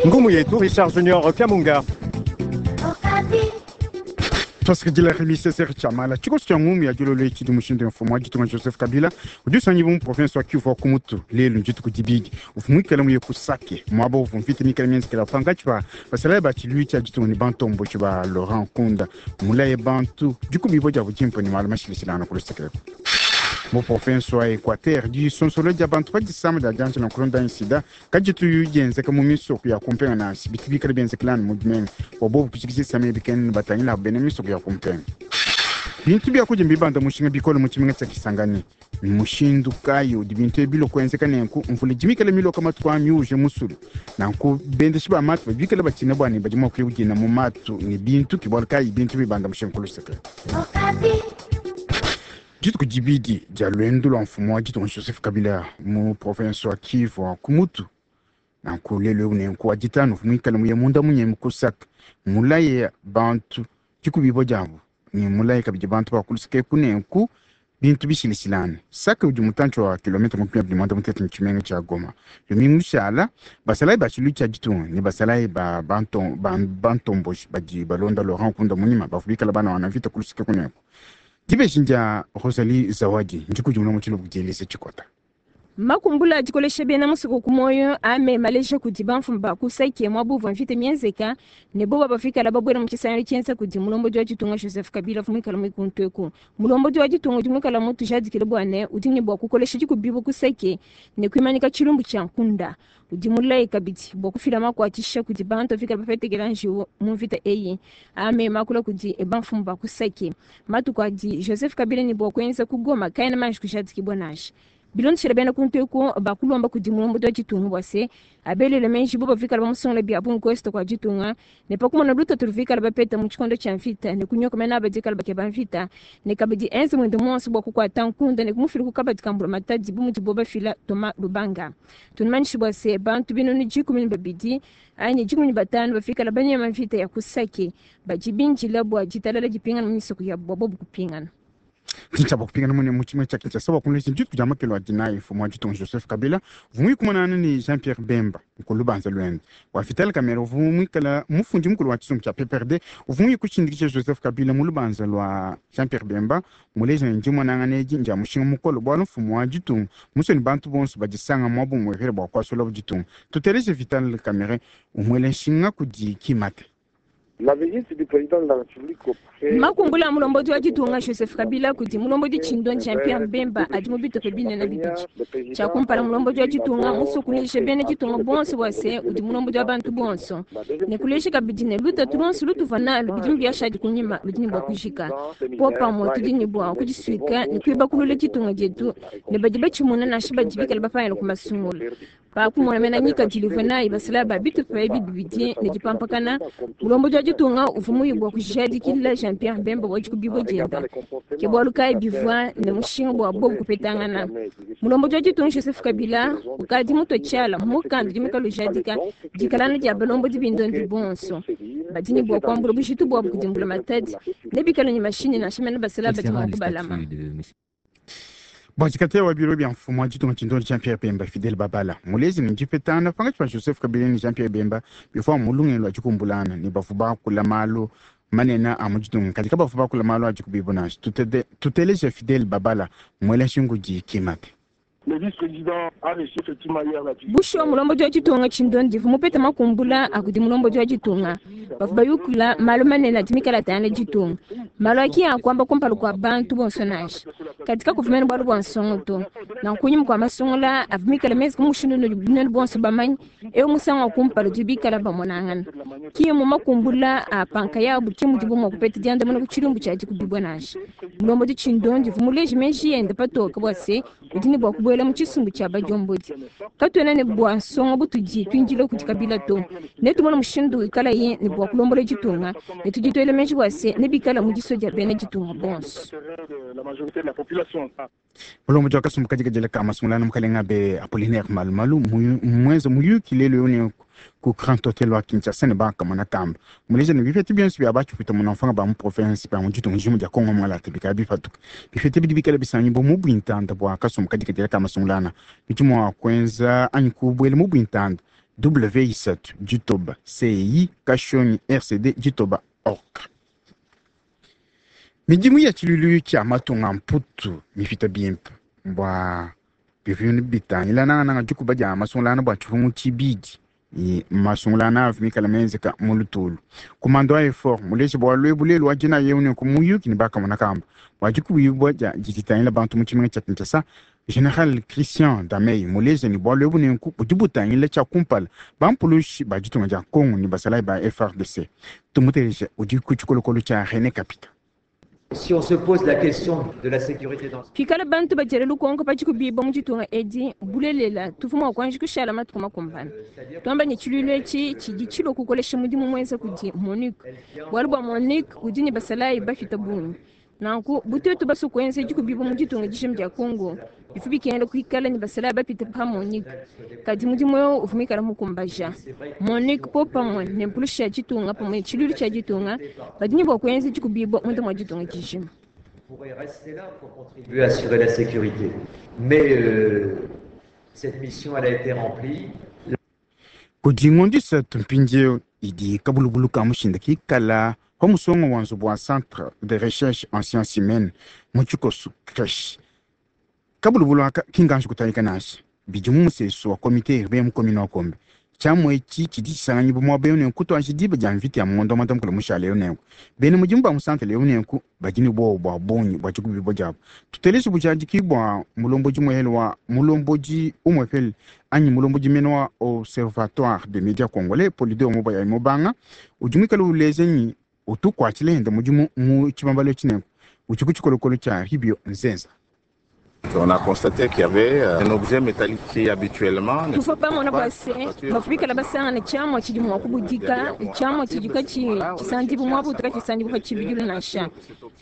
Ngumu yetu Richard Junior Kamunga. Tuasakidila Remi Cesar Tshiamala. Tshikoso tshia ngumu ya dilolo etshi tshidi mushindu mfumu wa ditunga Joseph Kabila udi usangibua mu province wa Kivu wa ku mutu. Lelu ndituku dibidi uvua muikale muye ku Sake, muaba uvua mvita mikale mienzekela pankatshi pa basalayi ba tshiluilu tshia ditunga ne bantomboji ba Laurent Nkunda. Mulaye bantu dikubibua diabu dimpe ne malu mashilashilangane ku luseke eku. Mu province wa Equateur, disonsola dia bantu pa disama dia dianjila nkulonda anyi sida kaditu dienzeka mu misoko ya kumpenga nansha, bitu bikale bienzekela anu mu bimenga. Bua bobu kujikija disama ebi kena batangila abu bena misoko ya kumpenga. Bintu bia kudia mbibanda mushinga bikole mu tshimenga tshia Kisangani. Mmushindu kayi udi bintu ebi bilua kuenzeka nenku? Mvula idi mikale miloka matuku aa miuje musulu, nanku bendeshi ba matu badi bikale batshina bua ne badi mua kuya kudina mu matu ne bintu. Ke bualu kayi bintu bibanda mushinga ku luseke. Dituku dibidi dia luendu lua mfumu wa ditunga Joseph Kabila mu province wa Kivu wa ku mutu, nanku lelu eu nenku wa ditanu uvua muikale muye munda munyemi ku Sake, mulaye bantu dikubibua diabu ne mulaye kabidi bantu ba ku luseke eku nenku bintu bishilashilangane. Sake udi mutantshi wa kilometre 230 ne tshimenga tshia Goma. Lumingu lushala, basalayi ba tshiluilu tshia ditunga ne basalayi ba bantomboji badi balonda Laurent Nkunda munyima bavua bikale banawana mvita ku luseke kuneku. Dibeji ndia Rosalie Zawadi, ndikudimuna mu tshiluba kudi Elise Tshikota. Makumbula a dikolesha bena musoko ku muoyo ame maleja kudi bamfumu ba ku Sake muaba uvua mvita mienzeka ne boba bafikala babuela mu tshisangilu tshienza kudi mulombodi wa ditunga Joseph Kabila uvua muikala mu kuntu eku. Mulombodi wa ditunga udi muikala mutujadikile bua ne udi ne bua kukolesha dikubibua ku Sake ne kuimanyika tshilumbu tshia nkunda. Udi mulaye kabidi bua kufila makuatshisha kudi bantu bafikala bapetekela njiwu mu mvita eyi. Ame makula kudi bamfumu ba ku Sake. Matuku adi Joseph Kabila ne bua kuenza ku Goma kaena manji kujadikibua nansha. Bilondeshile bena kuntu eku bakulomba kudi mulombodi wa ditunga bua se abelele meji bo bavikala bamusungula bia bungi ku est kua ditunga ne pa kumona lutatu luvikala bapeta mu tshikondo tshia mvita ne kunyoka mena aba dikala bakeba mvita ne kabidi enze muende muonso bua kukuata nkunda ne kumufila ku kabadi ka mbulamatadi bu mudibo bafila Thomas Lubanga. Tunumanyishe bua se bantu binunu 12 anyi 15 bafikala banyema mvita ya ku Sake badi bindila bua ditalala dipingana mu misoko yabu bua bobu kupingana. Ntshinyi tshia kupingana mune mu tshimenga tshia Kinshasa bua kumulesha dituku dia makelo a dinayi mfumu wa ditunga Joseph Kabila uvua muikumanana ne Jean Pierre Bemba ku lubanza luende. Bua Vital Kamerhe uvua muikala mufundi mukulu wa tshisumbu tshia PPRD uvua muye kushindikija Joseph Kabila mu lubanza lua Jean Pierre Bemba muleja ne dimonangana edi ndia mushinga mukole bualu mfumu wa ditunga musue ne bantu bonso badisanga muaba umuepele bua kuasulabu ditunga. Tuteleje Vital Kamerhe umuela nshinga kudi Kimate. Makumbula a mulombodi wa ditunga Joseph Kabila kudi mulombodi tshindondi Jean Pierre Bemba adi mu bitupa binene bibidi. Tshia kumpala, mulombodi wa ditunga musue kuleja bena ditunga bonso bua se udi mulombodi wa bantu bonso ne kuleja kabidi ne lutatu luonso lutuvua nalu bidimu biashadi kunyima ludi ne bua kujika. Popamue tudi ne bua kudisuika ne kuibakulula ditunga dietu ne badi batshimuna nansha badi bikale bapangila ku masungula. Pa kumona mena ngikadilu ivua nayi basalayi ba bitupa ebi bibidi ne dipampakana, mulombodi wa ditunga uvua muye bua kujadikila Jean-Pierre Bemba bua dikubibua dienda. Ke bualu kayi bivua ne mushinga bua bobu kupetangana. Mulombodi wa ditunga Joseph Kabila ukadi mutue tshiala mu mukanda udi muikale ujadika dikalangana dia balombodi bindondi bonso badi ne bua kuambula bujitu buabu kudi mbulamatadi ne bikale ne mashinyi nansha mene basalayi badi mua kubalama. Bua tshikatela wa biro bia mfumu wa ditunga tshindondi Jean Pierre Bemba, Fidel Babala muleji ne dipetangana pankatshi pa Joseph Kabila ne Jean Pierre Bemba bivua mu lungenyi lua dikumbulana ne bavua bakula malu manene a mu ditunga kadi kabavua bakula malu a dikubibu nansha. Tuteleje Fidel Babala muela nshingu kudi Kimate. Bushuwa, mulombodi wa ditunga tshindondi uvua mupete makumbula a kudi mulombodi wa ditunga. Bavua bayukila malu manene adi mikale atangila ditunga. Malu a ki a kuamba kumpala kua bantu bonso nansha. Kadi kakuvua mene bualu bua nsongo to. Nanku kunyima kua masungula avua mikale menze mu mushindu unudi nuenu bonso bamanye, eu musangu wa kumpala udi bikale bamonangana. Ki mmu makumbula a pa nkayabu ke mudibu mua kupeta diandamuna ku tshilumbu tshia dikubibua nansha. Mulombodi tshindondi uvua muleje meji ende patoke bua se, udi ne bua kubuela mu tshisumbu tshia badiombodi. Katuena ne bua nsongo butudi tuindila kudi Kabila to. Netumone mushindu wikalaye ne bua kulombola ditunga, ne tudi tuela meji bua se, nebikale mu disua dia bena ditunga bonso. Mulombodi wa kasumbu kadikadile ka masungula mukalenga be Apollinaire Malumalu mmuenze muyuki lelu eu ne ku Grand Hotel wa Kinshasa ne bakamona kamba muleja ne bipeta bionso bia batshipwita munamfanga ba mu province ba mu ditunga dijima dia Congo Mwalata bikala bipatuka. Bipeta bidi bikala bisangibua mu buintanda bua kasumbu kadikadile ka masungulana bidi mua kuenza anyi kubuela mu buintanda. W3 ditoba ci kashonyi rcd ditoba org. Midimu ya tshiluilu tshia matunga mputu mifita bimpe bua bivinu bitangila nangananga dikuba dia masungulana bua tshipungu tshibidi masungulana avu mikala menzeka mu lutulu. Kumando wa effort muleje bualu ebu lelu wa dina yeu ne kumuyuki ne bakamona kamba bua dikubibua dia ditangila bantu mu tshimenga tshia Kinshasa. General Christian Damey muleje ne bualu ebu nenku budi butangila tshia kumpala bampulushi ba ditunga dia Congo ne basalayi ba FARDC. Tumuteleje udi ku tshikolokolo tshia René Kapita. Si on se pose la question de la sécurité dans Pikala bantu bajere lukonko pachikubiba muchitunga edi bulelela tufuma kwanji kushala matuku makumbana twamba ne tshiluilu etshi tshidi tshilua kukolesha mudimu muenza kudi MONUC bualu bua MONUC udi ne basalayi bafita bungi nanku butetu basu kuenza dikubiba mu ditunga dijima dia Congo bifu bikengela kuikala ne basalayi bapita pa MONUC kadi mudimu eu uvua muikala mukumbaja MONUC po pamue ne mpulushi ya ditunga pamue ne tshiluilu tshia ditunga badi ne bua kuenza dikubiba munda mua ditunga dijima. Pourrait rester là pour contribuer à assurer la sécurité. Mais cette mission, elle a été remplie. Kudi ngondo isatu mpindieu idi kabulubulu ka mushinda kikala pa musongo wa nzubu wa Centre de recherche en sciences humaines mu tshikosu creche. Kabulubulu aka kinganji kutayika nansha bidi mu musesu wa comité urbain mu commune wa Kombe. Tshiamua etshi tshidi tshisanganyibua muaba eu nenku tuanji diba dia mvita ya ngondo wa muanda-mukulu mushale eu nenku. Bena mudimu ba mu centre eu nenku badi ne buowa bua bungi bua dikubibua diabu. Tuteleje bujadiki bua mulombodi muhele wa mulombodi umwepele anyi mulombodi mene wa Observatoire des médias congolais Polydor Mubaya Mubanga udi muikale uleja nyi utukuatshila henda mudimu mu tshibambalu etshi nenku udi ku tshikolokolo tshia Ribio Nzenza. On a constaté qu'il y avait un objet métallique qui habituellement ne Tuvua pamona bua se bafubikala basangana tshiamua tshidi mua kubudika tshiamua tshidi katshi tshisandibu muabu katshi pa tshibidilu nansha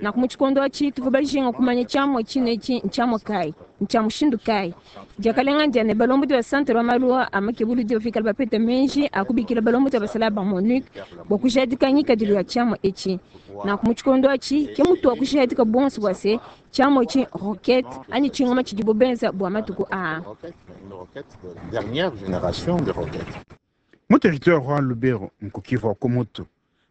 naku mu tshikondo atshi tuvua bajinga kumanya tshiamua tshinetshi ntshiamua kayi ntshia mushindu kayi diakalenga ndia ne balombodi ba centre wa malu a makebuludi bafikala bapeta menji akubikila balombodi basala ba MONUC bua kujadika ngikadilu ya tshiamua etshi naku mu tshikondo atshi ke mutu wa kujadika bonso bua se tshiamua etshi roquette anyi tshingoma tshidibo benza bua matuku aa. Une roquette de la dernière génération de roquettes. Mu territoire wa Lubero nkukivu wa Kumutu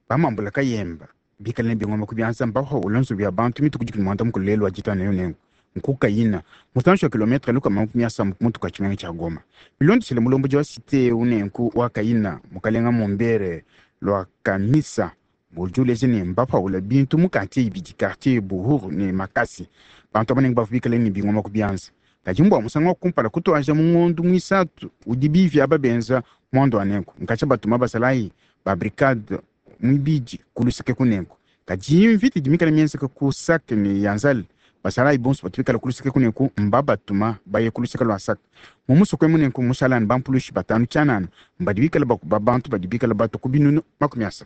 bamambula kayemba bikala ne bingoma ku bianza mbaho ulonzo bya bantu mituku dikumi muanda-mukulu lelu wa ditanu eu nenku nkukayina mutanshi wa kilometre lukama makumi asambo ku mutu kwa tshimenga tshia Goma. Bilondeshele mulombodi wa cité eu nenku wa Kayina mukalenga Mumbere lwa Kamisa udi uleja ne mbapaula bintu mu quartier ibidi quartier Buhuru ne Makasi bantu abanengi bavua bikale ne bingoma ku bianza kadi mbua musangu wa kumpala kutuaja mu ngondo muisatu udi bivi aba benza mwando wa nenku nkatsha batuma basalayi ba brigade mwibidi kuluseke kunenku kadi mvita idi mikale mienzeka ku Sake ne Yanzale basalayi bonso batu bikala kuluseke kunenku mbabatuma baye kuluseke lua Sake mu musoko emu nenku mushalani bampulushi batanu tshianana mbadi bikala bakuba bantu badi bikala batu ku binunu 30.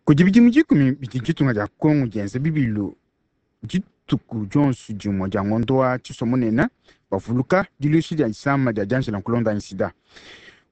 Kudi bidimu 10 bidi ditunga dia Congo dienza bibilu dituku dionso dimue dia ngondo wa tshiso munene bavuluka diluishi dia disama dia dianjela nkulonda anyi sida.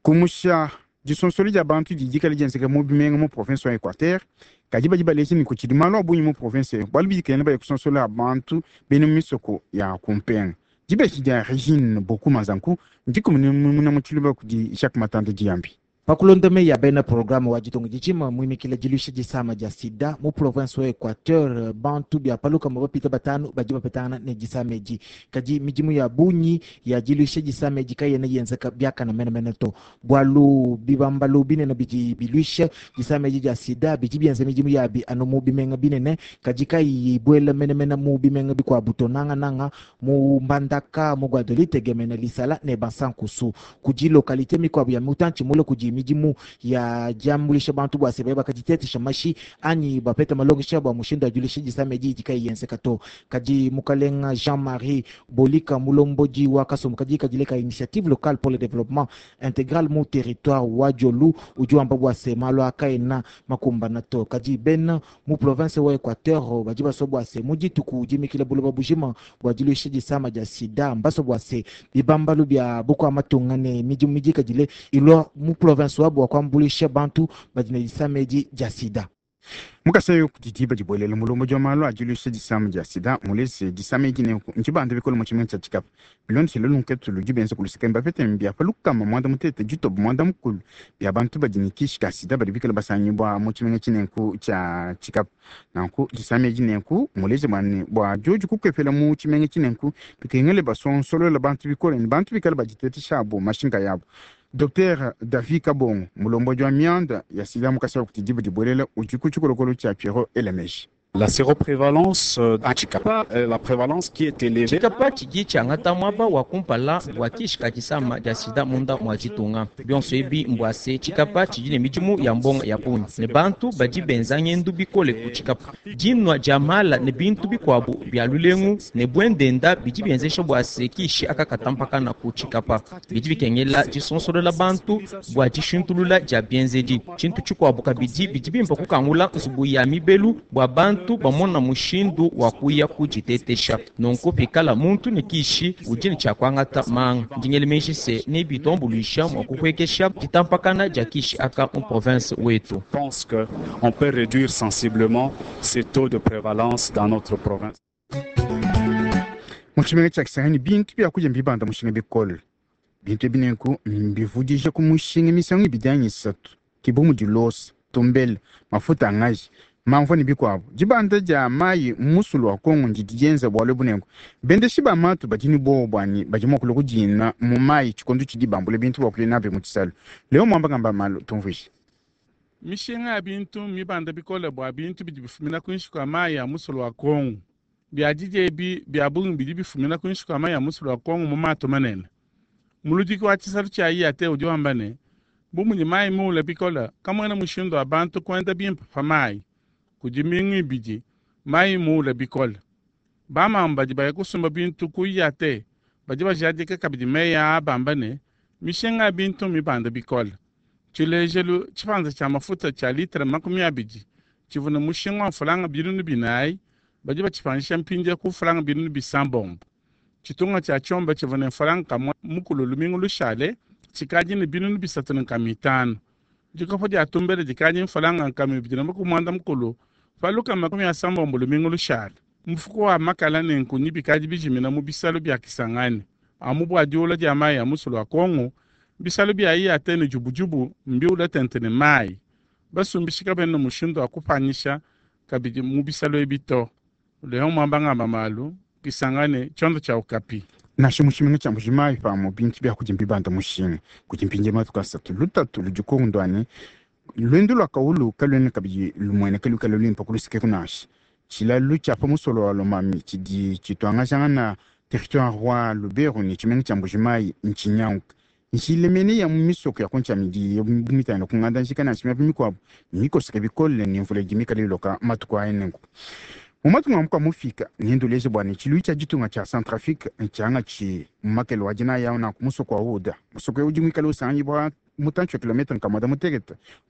Kumusha disonsoli dia bantu didi dikala dienzeka mu bimenga mu province wa Equateur kadi badi baleja ne kutshidi malu a bungi mu province eyo bualu bidi baye kusonsola bantu bena mu misoko ya kumpenga. Dibeji dia Regine Bokuma Zanku ndikumuna mu tshiluba kudi Jacques Matande Diambi. Pakulonda meyi ya bena programme wa ditunga dijima muimikila diluisha disama dia sida mu province wa Equateur bantu bia paluka mabapita batanu badi bapetangana ne disama edi kadi midimu ya bungi ya diluisha disama edi kayena yenzeka biakana menemene to bualu bibambalu binene bidi biluisha disama edi dia sida bidi bienza midimu yabi anu mu bimenga binene kadi kayiyi ibuela menemene mu bimenga bikuabu to nangananga mu Mbandaka mu Gbadolite Gemena Lisala ne Basankusu kudi localité mikuabu ya mutantshi mule kudi midimu ya diambuluisha bantu bua se bakaditetesha mashi anyi bapeta malongesha bua mushindu wa diluisha disama edi idi kayi yenzeka to kadi mukalenga Jean-Marie Bolika mulombodi wa kasumbu kadi kadileka initiative locale pour le développement intégral mu territoire wa Diolu udi wamba bua se malu akaena makumbana to kadi bena mu province wa Equateur badi basua bua se mu dituku dimikila buloba bujima bua diluisha disama dia sida mbaso bua se bibambalu bia bukua matunga ne midimu midikadile ilua mu province wa bua kuambuluisha bantu badi ne disama edi dia sida. Mukasa kudi diba dibuelela, mulombodi wa malu a diluisha disama dia sida mulese disama edi nenku ntshibanda bikole mu tshimenga tshia Tshikapa. Bilondeshile lunketu ludi benza ku luseke, mbapete bia pa 690 bia bantu badi ne kishi ka sida badi bikale basangibua mu tshimenga tshinenku tshia Tshikapa. Nanku disama edi nenku muleje bua ne bua diodi kukepela mu tshimenga tshinenku bikengele basonsolola bantu bikole ne bantu bikale baditetesha abo mashinka yabo. Dr David Kabongo, mulombodi wa mianda ya sida mu Kasai kudi diba dibuelela, udi ku tshikolokolo tshia Pierrot Elemeji. La séroprévalence à Tshikapa, la prévalence qui est élevée. Tshikapa tshidi tshiangata muaba wa kumpala bua kishi ka disama dia sida munda mua ditunga. Bionso ebi mbua se Tshikapa tshidi ne midimu ya mbonga ya bungi ne bantu badi benza ngendu bikole ku Tshikapa. Dinua dia mala ne bintu bikuabu bia lulengu ne buendenda bidi bienzesha bua se kishi aka katampakana ku Tshikapa. Bidi bikengela disonsolola bantu bua dishintulula dia bienzedi. Tshintu tshikuabu kabidi bidi bimpe kukangula nzubu ya mibelu bua bantu bamona mushindu wa kuya kuditetesha. Nunku pikala muntu ne kishi udi ne tshia kuangata manga. Ndi ngela meji se nebituambuluisha mua kupuekesha ditampakana dia kishi aka mu province wetu. Pense que on peut réduire sensiblement ces taux de prévalence dans notre province. Mu tshimenga tshia Kisangani bintu bia kudia mbibanda mushinga bikole. Bintu ebi nenku mbivudija ku mushinga misangu ibidi anyi isatu, ke bu mudi losa, tumbele, mafuta a ngaji, mamvua ne bikuabu. Dibanda dia mayi mu musulu wa Kongo ndidi dienza bualu ebu nenku bendeshi ba matu badi ne buowa bua ne badi mua kulua kudina mu mayi tshikondo tshidi bambula bintu bua kuya nabi mu tshisalu. Leo Muamba ngamba malu tumvuije. Mishinga ya bintu mmibanda bikole bua bintu bidi bifumina kuinshi kua mayi a musulu wa Kongo. Biadidia ebi bia bungi bidi bifumina kuinshi kua mayi a musulu wa Kongo mu matu manene. Muludiki wa tshisalu tshia IAT udi wamba ne, bu mudi mayi muule bikole, kamuena mushindu wa bantu kuenda bimpe pa mayi. Kudi mbingu ibidi mayi muule bikole. Bamamu badi baya kusumba bintu ku IAT badi bajadika kabidi meyi aa bamba ne, mishinga ya bintu mmibanda bikole. Tshilejelu, tshipanza tshia mafuta tshia litre 20 tshivua ne mushinga wa mfranga 4000 badi batshipanyisha mpindieu ku mfranga 600. Tshitunga tshia tshiomba tshivua ne mfranga kamue mukulu lumingu lushale tshikadi ne 3500. Dikopo dia tumbele dikadi mfranga 290 pa 160 lumingu lushale. Mufuko wa makala ne nkunyi bikadi bijimina mu bisalu bia Kisangani. Amu bua diula dia mayi a musulu wa Kongo, bisalu bia IAT ne jubujubu mbiula tente ne mayi. Basumbishi kabena ne mushindu wa kupanyisha kabidi mu bisalu ebi to. Leon Mwamba ngamba malu, Kisangani, tshiondo tshia Okapi. Nansha mu tshimenga tshia Mbuji-Mayi pamue bintu bia kudia mbibanda mushinga. Kudi mpindieu matuku asatu lutatu ludi kongo ne luendu lua kawulu kaluena kabidi lumueneka luikale luimpe ku luseke nansha. Tshilalu tshia pa musolo wa Lomami tshidi tshituangajangana territoire wa Lubero ne tshimenga tshia Mbuji-Mayi ntshinyanguke. Njila mene ya mu misoko ya ku ntshia midi mitangila ku nganda njika nansha miaba mikuabu mikoseke bikole ne mvula idi mikale iloka matuku aya nenku. Mu matunga a muka mufika nenduleje bua ne tshiluilu tshia ditunga tshia Centrafrique ntshiangatshi mu makele wa dinaya nanku musoko wa Ouda. Musoko eu udi muikale usanganyibua mutantshi wa kilometre 160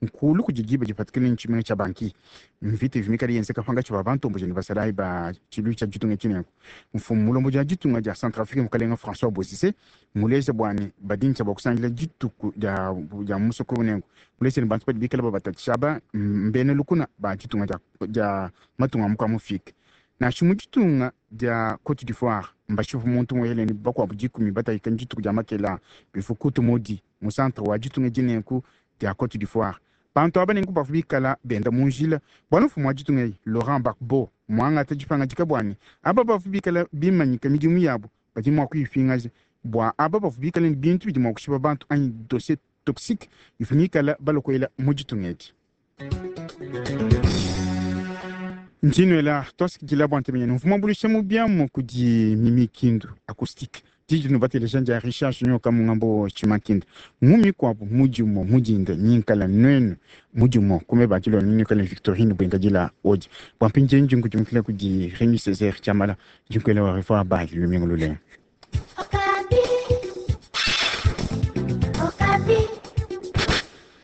nkulu kudi diba dipatukile ne tshimenga tshia Bangui. Mvita ivua mikale yenzeka pankatshi pa bantomboji ne basalayi ba tshiluilu tshia ditunga tshinenku. Mfumu mulombodi wa ditunga dia Centrafrique mukalenga François Bozizé muleje bua ne badi ntshia bua kusangila dituku dia dia musoko eu nenku. Muleje ne bantu badi bikale babatatshisha aba mbena lukuna ba ditunga dia dia matunga a muka mufike. Nansha mu ditunga dia Cote d'Ivoire mbashipe muntu muele ne bakuabu 10 batayika dituku dia makela bivua kutu mudi mu centre wa ditunga dinenku dia Cote d'Ivoire. Bantu aba nenku bavua bikala benda mu njila bualu mfumu wa ditunga eyi Laurent Gbagbo muangata dipangadika bua ne aba bavua bikala bimanyika midimu yabu badi mua kuyipingaja bua aba bavua bikala ne bintu bidi mua kushipa bantu anyi dossier toxique ivua mikala balokolela mu ditunga edi. Njinuela twasikidila bua ntemenyene mvua muambuluisha mu biamu kudi Mimi Kindu acoustique didi nubateleja ndia Richard Junior Kamungambo Tshimankinda mu mikuabu mudimu mudinda nyinkala nuenu mudimu kume bakilo ninikala Victorine Bwenkadila odi bua mpindieu ndi nkudimukila kudi Remy Césaire Tshiamala ndi nkuela wa revoir bye lumingu lulenga. Okapi. Okapi.